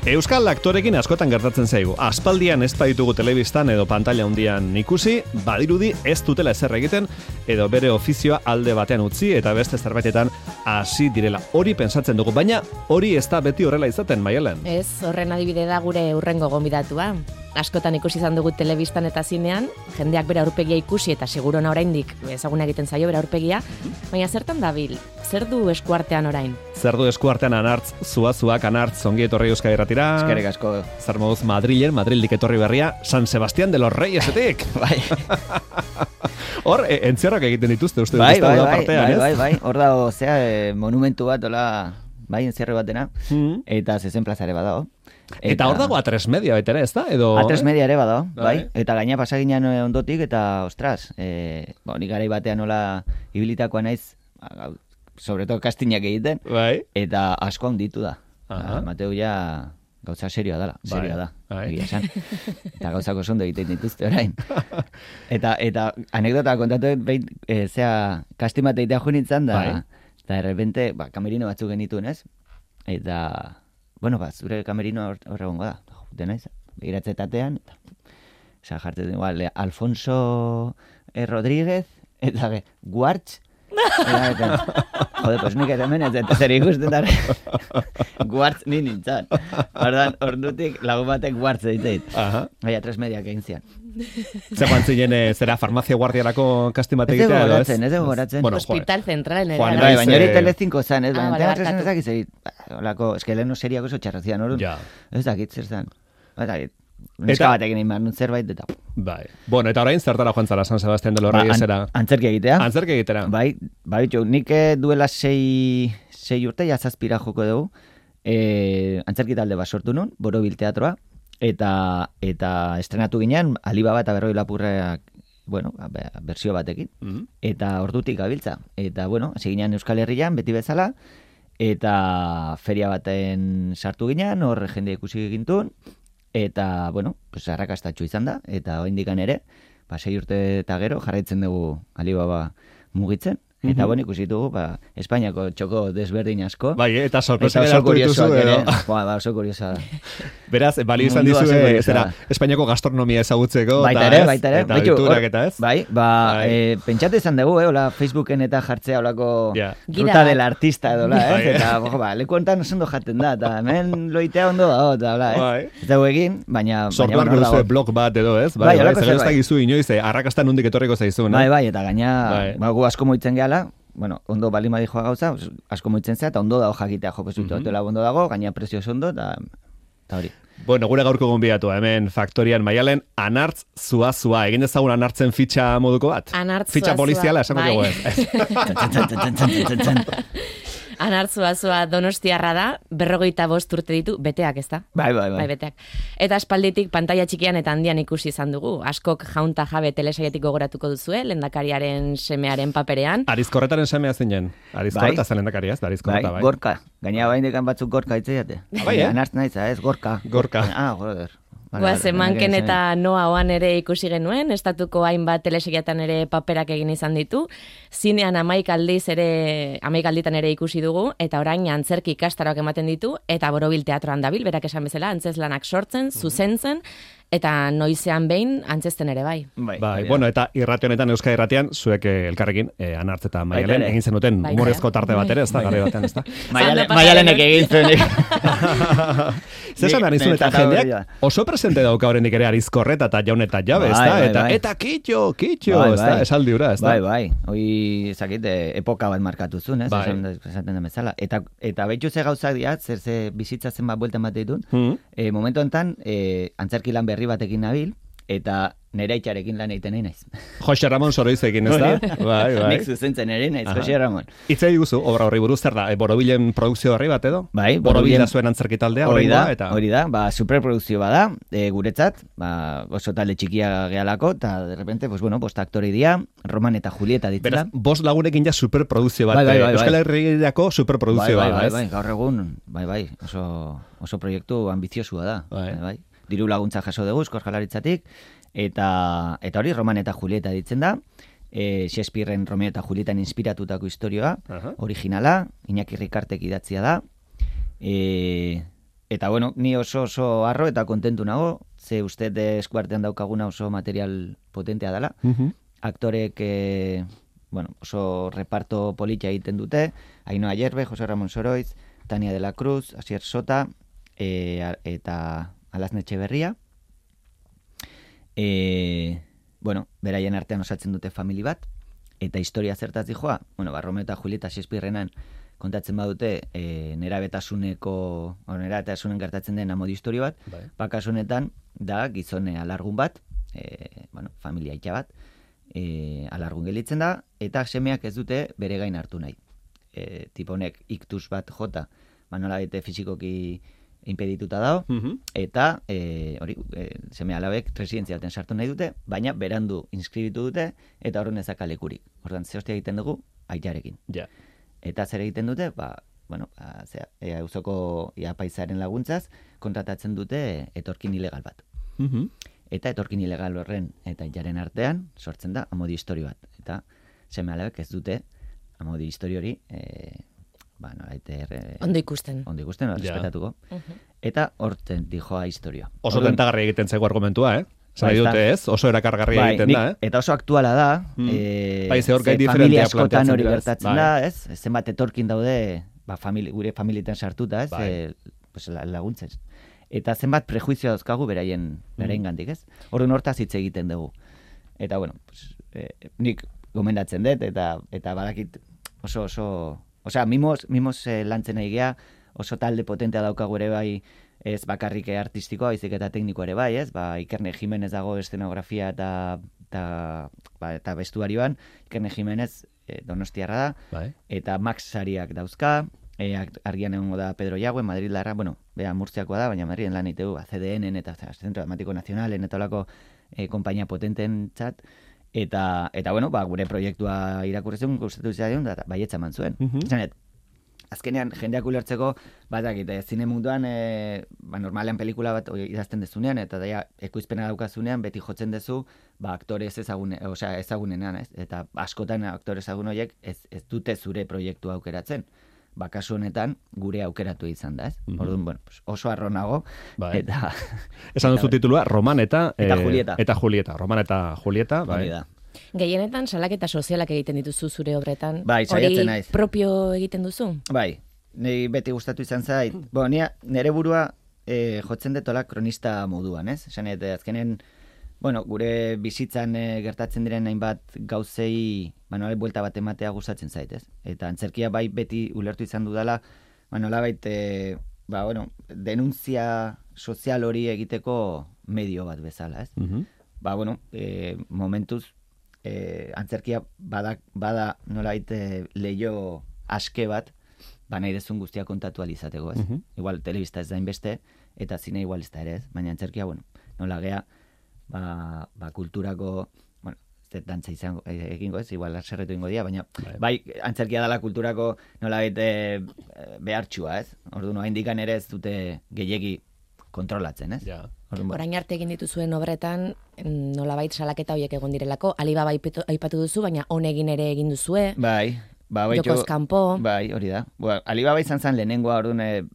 Euskal aktorekin askotan gertatzen zaigu. Aspaldian ez baitugu telebistan edo pantalla handian ikusi, badirudi ez dutela ezer egiten edo bere ofizioa alde batean utzi eta beste zerbaitetan hasi direla. Hori pentsatzen dugu, baina hori ez da beti horrela izaten, Maialen. Ez, horren adibide da gure hurrengo gonbidatua. Askotan ikusi izan dugu telebistan eta zinean, jendeak bere aurpegia ikusi eta segurona oraindik ezaguna egiten zaio bere aurpegia, baina zertan dabil? Zer du eskuartean orain? Zer du eskuartean Anartz, zuazuak Anartz, ongi etorri Euskal Irratira. Eskerrik asko. Zer moduz Madrildik etorri berria, San Sebastián de los Reyesetik. Bai. Hor, entzierrak egiten dituzte, uste dut da partean, ez? Bai. Hor dago, monumentu bat, hola, bai, entzierre batena, eta zezen plazare badago. Eta hor dago A3 Media baita ere, ez da? A3 Media ere badago, bai. Eta gaina pasaginan ondotik, eta, ostras, nik garai batean nola ibilitakoa naiz, sobre todo kastinak egiten, eta asko handitu da. Mateu ja gauza serioa da, egia esan. Eta gauzako zondo egiten dituzte orain. Eta anekdota kontatu behin, kastin bat egitea jo nintzen, da, eta errepente, kamerino batzuk genituen ez, eta, bueno, zure kamerino horregongo da, dena izan, begiratzetatean, eta jartzen igual, Alfonso Rodríguez, eta Guartz, pues nik hemen ez eta zer ikusten dara Guartz ni nintzen. Ordutik lagun batek Guartz egiteit. Baina A3 Mediak egin zian. Zer joan zinen, zera farmazia guardiarako kastin bat egitea? Ez dugu goratzen. Hospital Central. Baina hori Telecinco zan, ez? Baina Telecinco zan ez dakit. Ez que lehen seriako zo txarrazian, orduan. Ez dakit zer zan. Neska batekin egin behar zerbait eta... Bai. Bueno, eta orain zertara joan zara San Sebastián de los Reyesera? Antzerki egitea. Antzerki egitera. Bai, nik duela 6 urte jazazpira joko dugu. Antzerki talde bat sortu nun, Borobil Teatroa, eta estrenatu ginean, Alibaba eta Berroi Lapurrak, bueno, bersio batekin. Eta ordutik gabiltza. Eta, bueno, hasi ginean Euskal Herrian, beti bezala, eta feria baten sartu ginean, hor jende ikusi gintun, eta, bueno, pues arrakastatxu izan da, eta oindikan ere, 6 urte eta gero jarraitzen dugu Alibaba mugitzen, eta bueno, ikusi dugu, Espainiako txoko desberdin asko. Bai, eta sorpresa geratu dituzu edo. Oso kuriosa da. Beraz, bali izan dizue, Espainiako gastronomia ezagutzeko, baita ere. Eta alturak eta ez? Bai, pentsatu izan dugu, hola, Facebooken eta jartzea holako ruta del artista edo, eta, leku honetan ondo jaten da, eta hemen loitea ondo da, eta, ez dugu egin, baina... Sortuak duzue blog bat edo, ez? Bai, zer ez da gizu inoiz, arrakastan nondik etorriko zaizu, no? Bai, eta gaina, gu asko moitzen gehala, bueno, ondo balima dijoa gauza, asko moitzen zea, eta ondo dago jakitea jopezutu, hotela ondo dago, gaina prezioz ondo, eta hori. Bueno, gure gaurko gonbidatu, hemen Faktorian Maialen, Anartz zua. Egin dezagun Anartzen fitxa moduko bat? Anartz fitxa poliziala, esango dugu ez. Anartz zua Donostiarra da, 45 urte ditu, beteak ez da? Bai, beteak. Eta aspalditik pantalla txikian eta handian ikusi izan dugu. Askok jaunta jabe telesaietik gogoratuko duzue, lehendakariaren semearen paperean. Arizkorretaren semea zinen. Arizkorreta zen lehendakaria, ez da Arizkorreta, bai. Gorka. Gaina baindekan batzuk Gorka itzeiate. Bai, Anartz nahiza, ez, Gorka. Joder. Zemanken eta Noa oan ere ikusi genuen, estatuko hainbat telesegiatan ere paperak egin izan ditu, zinean 11 alditan ere ikusi dugu, eta orain antzerki ikastaroak ematen ditu, eta Borobil Teatroan dabil, berak esan bezala, antzeslanak sortzen, zuzentzen, eta noizean behin antzesten ere bai. Bai, bueno, eta irrati honetan, Euskal Irratian, zuek elkarrekin, Anartz eta Maialen, egin zenuten humorezko tarte bat ere, ez da, gare batean, ez da? Maialenek egin zuen. Zesan arizun eta jendeak oso presente dauka horrenik ere Arizkorreta eta Jaun eta Jabe, ez da? Eta kitxo, ez da? Esaldi hura, ez da? Bai, hoi, zakit, epoka bat markatu zuen, ez? Esaten da bezala. Eta behitxu ze gauzak diat, zer bizitzatzen bat bueltan bat ditun, momentu enten, antzerki lan berri batekin nabil, eta nere itxarekin lan egiten nahi naiz. Jose Ramon Soroizekin, ez da? Bai. Nik zuzentzen ere naiz, Jose Ramon. Itzei guzu, obra horri buruz, zer da? Borobilen produkzio horri bat edo? Bai. Borobil da zuen antzerki taldea, hori da, superprodukzio bada, guretzat, oso talde txikia gehalako, eta de repente, aktori dira, Roman eta Julieta ditzela. Beraz, 5 lagunekin ja superprodukzio bat, Euskal Herriako superprodukzio bat, ez? Bai, gaur egun, oso proiektu ambiziosua da, bai. Diru laguntza jaso dugu, Eusko Jaurlaritzatik, eta hori Roman eta Julieta ditzen da, Shakespearen Romeo eta Julietan inspiratutako historioa, originala, Iñaki Rikartek idatzia da, Eta, bueno, ni oso arro eta kontentu nago, ze uste eskuartean daukaguna oso material potentea dela. Aktorek, oso reparto politia egiten dute, Ainhoa Yerbe, Jose Ramon Soroiz, Tania de la Cruz, Asier Sota, eta Alazne Etxeberria. Beraien artean osatzen dute famili bat, eta historia zertaz dijoa, Romeo eta Julieta Shakespearenan kontatzen badute nerabetasunen gertatzen den amodi historio bat, kasu honetan da gizone alargun bat, familia itxa bat, alargun gelitzen da, eta semeak ez dute bere gain hartu nahi. Tiponek iktus bat jota, nola bete fizikoki impedituta dago, eta seme alabek residentzia baten sartu nahi dute, baina berandu inskribitu dute, eta horren ezak alekurik. Hortan, ze hostia egiten dugu, aitarekin. Ja. Eta zer egiten dute, auzoko apaizaren laguntzaz, kontratatzen dute etorkin ilegal bat. Eta etorkin ilegal horren eta aitaren artean, sortzen da amodi histori bat. Eta seme alabek ez dute amodi histori hori ondo ikusten, respetatuko. Eta horten dijoa historia. Oso tentagarri egiten zego argumentua, Zai dute ez, oso erakargarria egiten da, Eta oso aktuala da, familia askotan hori gertatzen da, zenbat etorkin daude, gure familietan sartuta, laguntzen. Eta zenbat prejuizioa dauzkagu beraien gandik, Horren hortaz hitz egiten dugu. Eta, nik gomendatzen dut, eta badakit oso mimos lantzen nahi gea, oso talde potentea daukagu ere bai, ez bakarrik artistikoa, baizik eta teknikoa ere bai, Ikerne Jimenez dago eszenografia eta bestuarioan, Ikerne Jimenez donostiarra da, eta Max Sariak dauzka, argian egongo da Pedro Yagüe, Madrid larra, Murtziakoa da, baina Madriden lan itegu, CDN eta Centro Dramático Nacionalen, eta olako kompainia potenten txat, eta gure proiektua irakurrezen, gustatu izan da, baietza eman zuen. Azkenean, jendeak ulertzeko, zine munduan, normalean pelikula bat idazten dezunean, eta daia ekoizpena daukazunean, beti jotzen dezu, aktore ezagunenan, eta askotan aktore ezagun horiek ez dute zure proiektua aukeratzen. Kasu honetan, gure aukeratu izan da, Orduan, oso arro nago, eta... Esan duzu titulua, Roman eta Julieta. Eta Julieta. Roman eta Julieta, bai. Gehienetan salaketa sozialak egiten dituzu zure obretan. Saiatzen naiz. Hori propio egiten duzu? Bai, niri beti gustatu izan zait. Nire burua jotzen detola kronista moduan, Esan azkenen, gure bizitzan gertatzen diren hainbat gauzei, buelta bat ematea gustatzen zait, Eta antzerkia bai beti ulertu izan dudala, nolabait, denuntzia sozial hori egiteko medio bat bezala, momentuz, antzerkia bada nolabait leio aske bat, nahi dezun guztia kontatu alizateko, Igual, telebista ez da inbeste, eta zine igual ez da ere, Baina antzerkia, nola gea, kulturako, ez dantza izango egingo igual zerretu ingo dia, baina bai antzerkia dela kulturako nolabait behartxua, Orduan, haindikan ere ez dute gehiegi kontrolatzen, Orain arte egin dituzuen obretan, nolabait salaketa horiek egon direlako, Alibaba aipatu duzu, baina honegin ere egin duzue, Jokoz kanpo. Bai, hori da. Alibaba izan zen lehenengoa, orduan,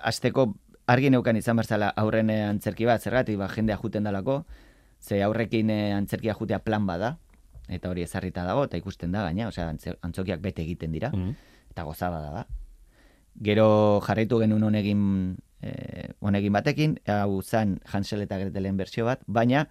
azteko argi neukan izan berzala aurren antzerki bat, zergatik, jendea juten dalako, ze aurrekin antzerkia jutea plan bada, eta hori ezarrita dago, eta ikusten da gaina, antzokiak bete egiten dira, eta gozabada da. Gero jarraitu genuen honegin batekin, hau zen Hansel eta Gretelen bersio bat, baina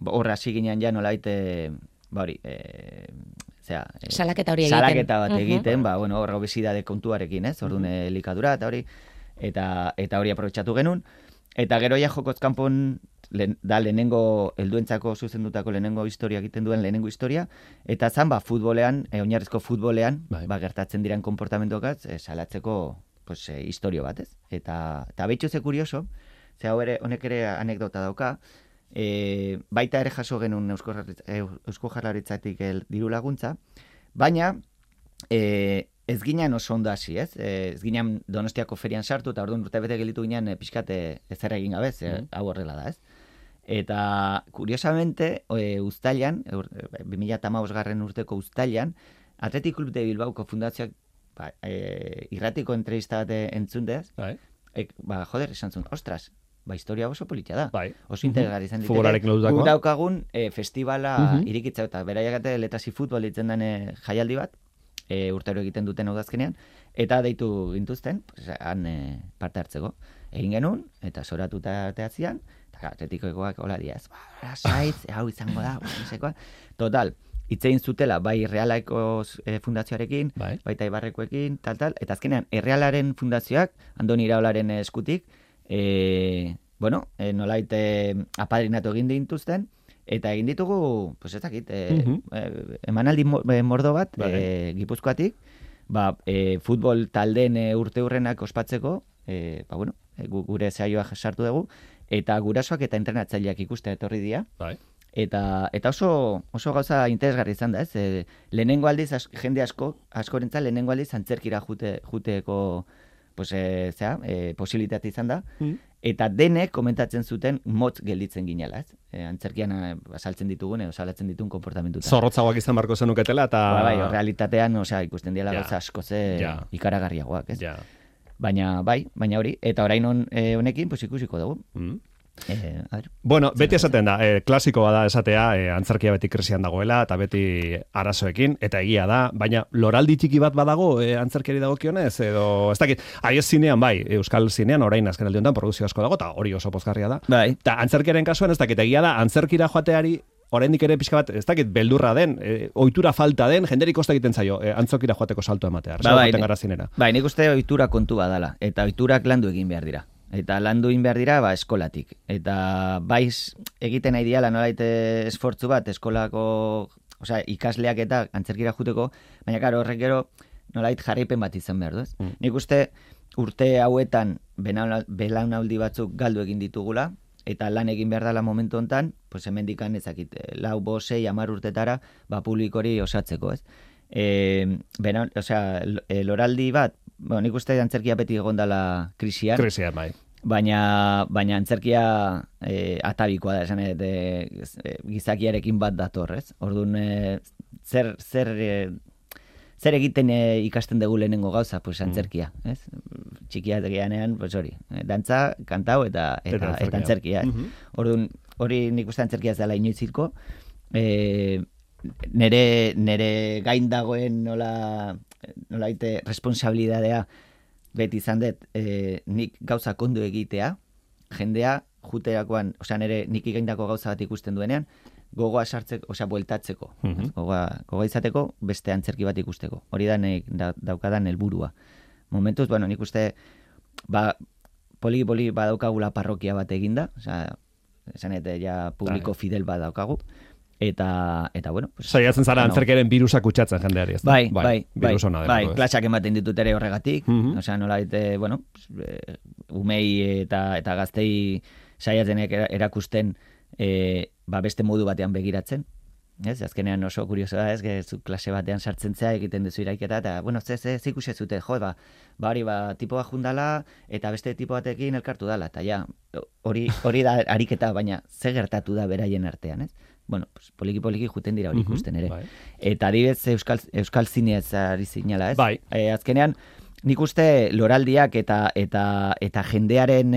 horra hasi ginean ja nolait, salaketa hori egiten. Salaketa bat egiten, horra obesidade kontuarekin, orduan elikadura, eta hori, eta hori aprobetxatu genuen, eta gero ja Jokoz kanpon da lehenengo helduentzako zuzendutako lehenengo historia egiten duen lehenengo historia, eta zan futbolean, oinarrizko futbolean, gertatzen diren konportamentuak salatzeko historio bat, Eta behitxu ze kurioso, ze honek ere anekdota dauka, baita ere jaso genuen Eusko Jaurlaritzatik diru laguntza, baina ez ginen oso ondo hasi, ez ginen Donostiako ferian sartu, eta orduan urte bete gelitu ginen pixkate ezer egin gabez, hau horrela da, Eta, kuriosamente, uztailan, 2015 urteko uztailan, Athletic Club de Bilbaoko fundazioak irratiko entrevista bat entzundez, joder, esan zuen, ostras, historia oso politia da. Bai. Oso interesgarri izan ditere. Futbolarekin lotutakoa. Guk daukagun festivala irikitza eta beraiakate letasi futbol ditzen den jaialdi bat, urtero egiten duten udazkenean, eta deitu gintuzten, han parte hartzeko. Egin genuen, eta soratuta teatzian, eta atletikoekoak hola diaz, saitz, hau izango da, nesekoa. Total, itzein zutela, bai Errealaeko fundazioarekin, baita Ibarrekoekin, tal, eta azkenean, Errealaren fundazioak, Andoni Iraolaren eskutik, nolait apadrinatu egin dintuzten, eta egin ditugu, pues ez dakit, emanaldi mordo bat, Gipuzkoatik, futbol taldeen urte hurrenak ospatzeko, gure saioa sartu dugu, eta gurasoak eta entrenatzaileak ikustea etorri dira. Eta oso gauza interesgarri izan da, ez? Lehenengo aldiz, jende askorentza lehenengo aldiz antzerkira juteeko posibilitate izan da, eta denek komentatzen zuten motz gelditzen ginela, ez? Antzerkian saltzen ditugun, salatzen ditun konportamentutan. Zorrotzagoak izan barko zenuketela, eta... realitatean, ikusten diela gauza askoze ikaragarriagoak, ez? Baina hori, eta orain honekin, ikusiko dugu. Bueno, beti esaten da, klasikoa da esatea, antzerkia beti krisian dagoela, eta beti arazoekin, eta egia da, baina loraldi txiki bat badago antzerkiari dagokionez, edo, ez dakit, zinean bai, euskal zinean, orain azken aldi honetan, produzio asko dago, eta hori oso pozgarria da. Eta antzerkiaren kasuan, ez dakit, egia da, antzerkira joateari, oraindik ere pixka bat, ez dakit, beldurra den, ohitura falta den, jenderik kosta egiten zaio, antzokira joateko salto ematea. Nik uste ohitura kontu badala, eta ohiturak landu egin behar dira. Eta landu egin behar dira, eskolatik. Eta egiten nahi diala nolait esfortzu bat, eskolako, ikasleak eta antzerkira juteko, baina karo, horrek gero nolait jarraipen bat izan behar du, ez? Nik uste urte hauetan belaunaldi batzuk galdu egin ditugula, eta lan egin behar dela momentu hontan, hemendikan ezakit, 4, 5, 6, 10 urtetara, publikori osatzeko, ez? Loraldi bat, nik uste antzerkia beti egon dela krisian. Krisian, bai. Baina antzerkia atabikoa da, esan gizakiarekin bat dator, ez? Orduan, zer egiten ikasten dugu lehenengo gauza, antzerkia, ez? Txikia tegianean, hori, dantza, kantau eta antzerkia, ez? Orduan, hori nik uste antzerkia ez dela inoizilko, nere gain dagoen nolaite responsabilidadea beti izan dut nik gauza kondo egitea, jendea juterakoan, nere nik gaindako gauza bat ikusten duenean, gogoa sartzeko, bueltatzeko, gogoa izateko beste antzerki bat ikusteko. Hori da daukadan helburua. Momentuz, nik uste poli badaukagula parrokia bat eginda, esan ja publiko fidel bat daukagu, eta saiatzen zara antzerkeren birusak kutsatzen jendeari, ez da? Bai, klasak ematen ditut ere horregatik, nolait, umei eta gaztei saiatzen erakusten beste modu batean begiratzen, ez? Azkenean oso kurioso da, ez? Zu klase batean sartzen zea, egiten duzu iraiketa, eta, ze ikusi zute, hori tipo bat jundala, eta beste tipo batekin elkartu dala, eta hori da ariketa, baina ze gertatu da beraien artean, ez? Poliki juten dira hori ikusten ere. Eta adibidez euskal zineaz ari zinala, ez? Azkenean, nik uste loraldiak eta jendearen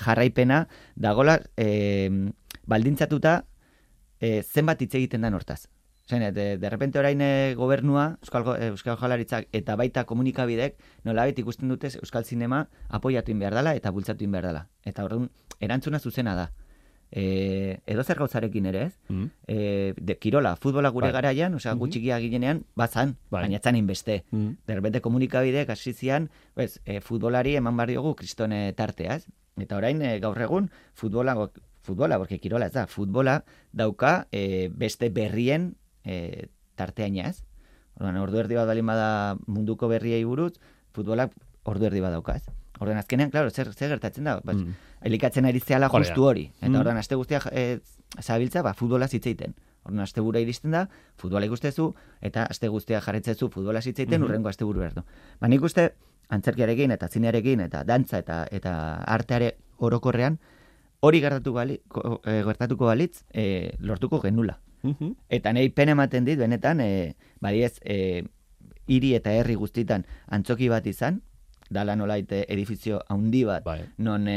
jarraipena dagola baldintzatuta zenbat hitz egiten da hortaz. De repente orain gobernua, Euskal Jaurlaritzak eta baita komunikabidek nolabait ikusten dute euskal zinema apoiatu behar dela eta bultzatu behar dela. Eta orduan erantzuna zuzena da. Edo zer gauzarekin ere, ez? Kirola, futbola gure garaian, gutxikia ginenean, bazan, baina etzan inbeste. De repente komunikabideek hasi zian, futbolari eman bar diogu kristone tartea, ez? Eta orain gaur egun futbola, porque kirola ez da, futbola dauka beste berrien tarteaina, ez? Ordu erdi bat balin bada munduko berriei buruz, futbolak ordu erdi bat dauka, ez? Orduan azkenean, klaro, zer gertatzen da? Elikatzen ari zehala justu hori. Eta orduan, aste guztia zabiltza, futbola zitzeiten. Orduan, aste bura iristen da, futbola ikustezu, eta aste guztia jarretzezu futbola zitzeiten, urrengo aste buru berdu. Nik uste, antzerkiarekin, eta zinearekin, eta dantza, eta arteare orokorrean, hori gertatuko balitz, lortuko genula. Eta nahi pena ematen dit, benetan, badiez, hiri eta herri guztitan antzoki bat izan, dala nolaite edifizio handi bat, non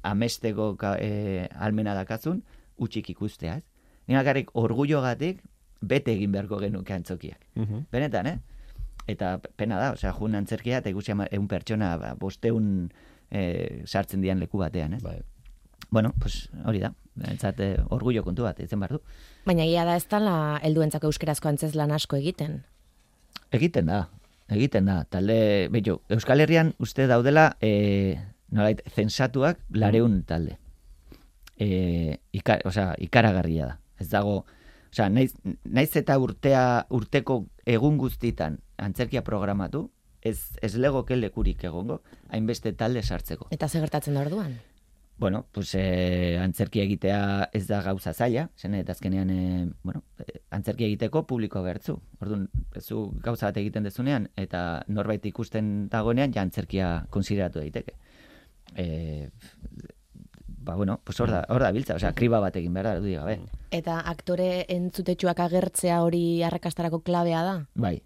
amesteko almena dakazun, utxik ikustea, ez? Ninakarrik orgullogatik bete egin beharko genuke antzokiak. Benetan, Eta pena da, osea, jun antzerkia, eta ikusi 100 pertsona, 500 sartzen dian leku batean, Bueno, pues hori da, orgullo kontu bat, izen behar du. Baina egia da ez dela helduentzako euskerazko antzezlan asko egiten? Egiten da. Talde, Euskal Herrian uste daudela, nolait, zensatuak 200 talde. Ikaragarria da. Ez dago, naiz eta urteko egun guztitan antzerkia programatu, ez legoke lekurik egongo, hainbeste talde sartzeko. Eta ze gertatzen da orduan? Bueno, pues antzerkia egitea ez da gauza zaila, eta azkenean, antzerkia egiteko publiko bertzu. Orduan, zu gauza bat egiten dezunean, eta norbait ikusten dagoenean, ja antzerkia konsideratu daiteke. Pues hor da biltza, kriba bat egin behar da, du gabe. Eta aktore entzutetxuak agertzea hori arrakastarako klabea da? Bai.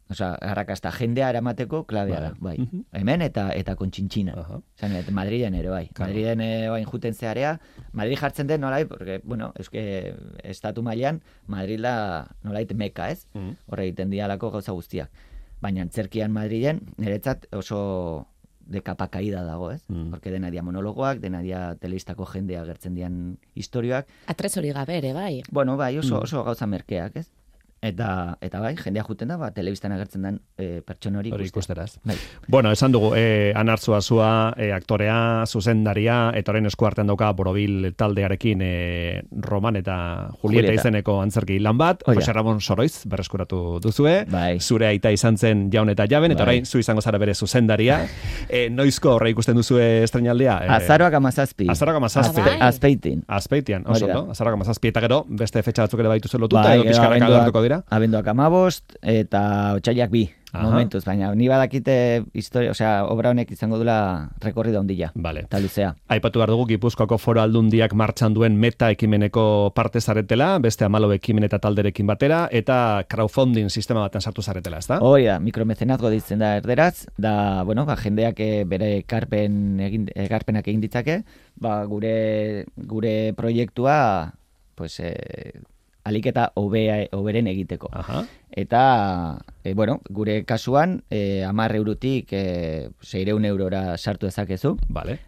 Arrakasta jendea eramateko klabea da, bai. Hemen eta kontxintxina. Madriden ere, bai. Madriden bain juten zearea, Madrid jartzen den nolai, porque, estatu mailan, Madrid da nolait meka, ez? Horre egiten dialako gauza guztiak. Baina antzerkian Madriden, niretzat oso de capa caída dago, ez? Porque dena dia monologoak, dena dia telebistako jendea agertzen dian historioak. Atresori gabe ere, bai. Bueno, bai, oso gauza merkeak, ez? Eta bai, jendea juten da, telebistan agertzen den pertsona hori ikusteraz. Bueno, esan dugu, Anartzua zua, aktorea, zuzendaria, eta orain esku artean dauka Borobil taldearekin Roman eta Julieta izeneko antzerki lan bat, Jose Ramon Soroiz berreskuratu duzue, zure aita izan zen Jaun eta Jaben, eta orain zu izango zara bere zuzendaria. Noizko horre ikusten duzue estrenaldia? Azaroak 17. Azpeitian, oso, no? Azaroak 17, eta gero, beste fetxa batzuk ere baitu zelotuta, edo pixkarak agertuko dira? Abenduak 15 eta otsailak 2 momentuz, baina ni badakite historia, obra honek izango dula rekorrida ondila, eta luzea. Aipatu behar dugu, Gipuzkoako Foru Aldundiak martxan duen meta ekimeneko parte zaretela, beste 14 ekimen eta talderekin batera, eta crowdfunding sistema baten sartu zaretela, ez da? Hori da, mikromecenazgo ditzen da erderaz, da, jendeak bere ekarpenak egin ditzake, gure proiektua, pues, alik eta oberen egiteko. Eta, gure kasuan, 10 eurotik 600 eurora sartu ezakezu.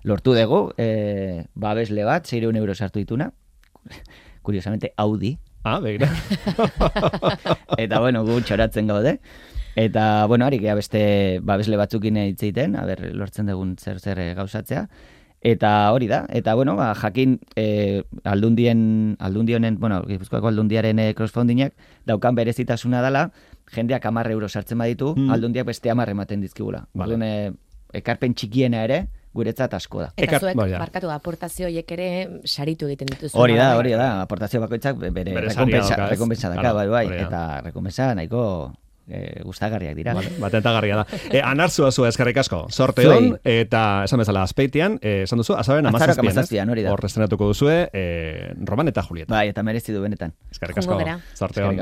Lortu dugu, babesle bat, 600 euro sartu dituna. Curiosamente, Audi. Begira. Eta, gu txoratzen gaude. Eta, harik beste babesle batzukin hitzeiten, lortzen dugun zer gauzatzea. Eta hori da, eta jakin aldundionen, Gipuzkoako aldundiaren crowdfundingak daukan berezitasuna dela, jendeak 10 euro sartzen baditu, aldundiak beste 10 ematen dizkigula. Orduan, ekarpen txikiena ere, guretzat asko da. Eta zuek, barkatu, aportazio hiek ere saritu egiten dituzu. Hori da, aportazio bakoitzak bere rekompensa daka, bai, eta rekompensa nahiko gustagarriak dira. Batentagarria da. Anartzua zua eskerrik asko. Sorte hon, eta esan bezala Azpeitian, esan duzu, azaren 17, hori da. Hor estrenatuko duzue, Roman eta Julieta. Bai, eta merezi du benetan. Eskerrik asko. Sorte hon.